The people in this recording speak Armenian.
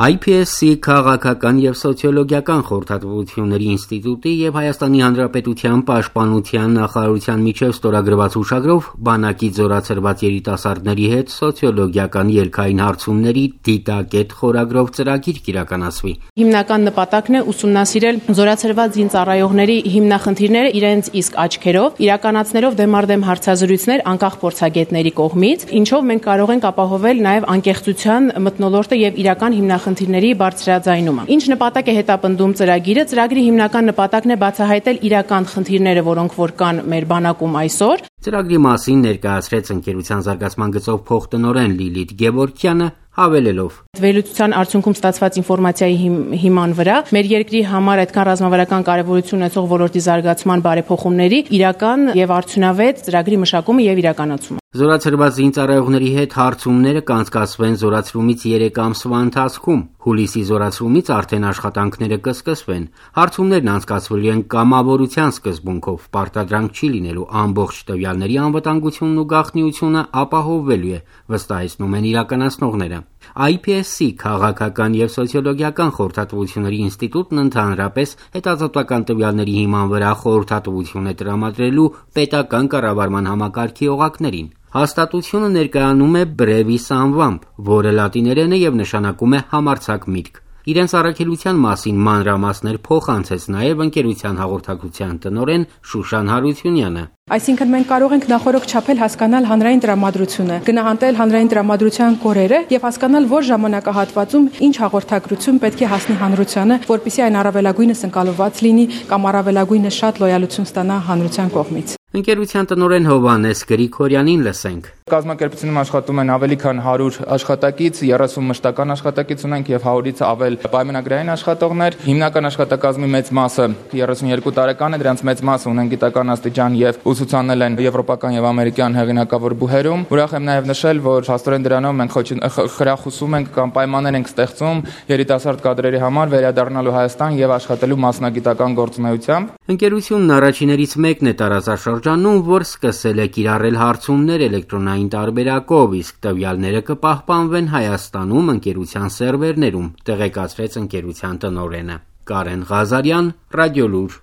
IPSC քաղաքական եւ սոցիոլոգիական խորհրդատվությունների ինստիտուտի եւ Հայաստանի Հանրապետության պաշտպանության նախարարության միջև ստորագրված հուշագրով բանակի զորացրված երիտասարդների հետ սոցիոլոգիական ելքային հարցումների դիտակետ խորագրով ծրագիր կիրականացվի։ Հիմնական նպատակն է ուսումնասիրել զորացրված զինծառայողների հիմնախնդիրները իրենց իսկ աչքերով, իրականացնելով դեմարդեմ հարցազրույցներ անկախ փորձագետների կողմից, ինչով մենք կարող ենք ապահովել նաեւ անկեղծության մթնոլորտը եւ իրական հիմնախնդիրների բարձրաձայնումը։ Ինչ նպատակ է հետապնդում ծրագիրը։ Ծրագրի հիմնական նպատակն է բացահայտել իրական խնդիրները, որոնք որ կան մեր բանակում այսօր։ Ծրագրի մասին ներկայացրեց ընկերության զարգացման գծով փոխտնօրեն Լիլիթ Գևորգյանը, հավելելով. Վերլուծության արդյունքում ստացված ինֆորմացիայի հիման վրա մեր երկրի համար այդքան ռազմավարական կարևորություն ունեցող ոլորտի զարգացման բարեփոխումների իրական եւ արդյունավետ ծրագրի մշակումը եւ իրականացումը։ Զորացրված զինծառայողների հետ հարցումները կանցկացվեն զորացրումից 3 ամսվա ընթացքում։ Հուլիսի զորացրումից արդեն աշխատանքները կսկսվեն։ Հարցումներն անցկացվելու են կամավորության սկզբունքով, պարտադրանք չի լինելու, ամբողջ տվյալների անվտանգությունն ու գաղտնիությունը ապահովվելու է, վստահեցնում են իրականացնողները։ IPSC քաղաքական եւ սոցիոլոգիական խորհրդատվությունների ինստիտուտն ընդհանրապես հետազոտական տվյալների հիման վրա խորհրդատվություն է տրամադրելու պետական կառավարման համակարգի օղակներին։ Հաստատությունը ներկայանում է Brevis անվամբ, որը լատիներեն է եւ նշանակում է համարձակ միտք։ Իրենց առաքելության մասին մանրամասներ փոխանցեց նաեւ ընկերության հաղորդակցության տնօրեն Շուշան Հարությունյանը։ Այսինքն մենք կարող ենք նախորդ չափել հասկանալ հանրային տրամադրությունը, գնահատել հանրային տրամադրության կորերը եւ հասկանալ որ ժամանակահատվածում ինչ հաղորդակցություն պետք է հասնի հանրությանը, որպեսզի այն առավելագույնս ընկալված լինի կամ առավելագույնս շատ լոյալություն ստանա հանրության կողմից։ Ընկերության տնօրեն Հովհաննես Գրիգորյանին լսենք։ Կազմակերպությունում աշխատում են ավելի քան 100 աշխատակից, 30 մշտական աշխատակից ունենք եւ 100-ից ավել պայմանագրային աշխատողներ։ Հիմնական աշխատակազմի մեծ մասը 32 տարեկան է, դրանց մեծ մասը ունեն գիտական աստիճան եւ ուսուցանել են եվրոպական եւ ամերիկյան հեղինակավոր բուհերում։ Ուրախ եմ նաեւ նշել, որ փաստորեն դրանով մենք խրախուսում ենք կամ պայմաններ ենք ստեղծում երիտասարդ կադրերի համար վերադառնալու Հայաստան եւ աշխատելու մասնագիտական գործունեությամբ։ Ընկերությունն առաջիներից մեկն է տարածաշրջանում, որ սկսել է կիրառել հարցումներ էլեկտրոնային տարբերակով, իսկ տվյալները կպահպանվեն Հայաստանում ընկերության սերվերներում, տեղեկացրեց ընկերության տնօրենը։ Կարեն Ղազարյան, Ռադիոլուր։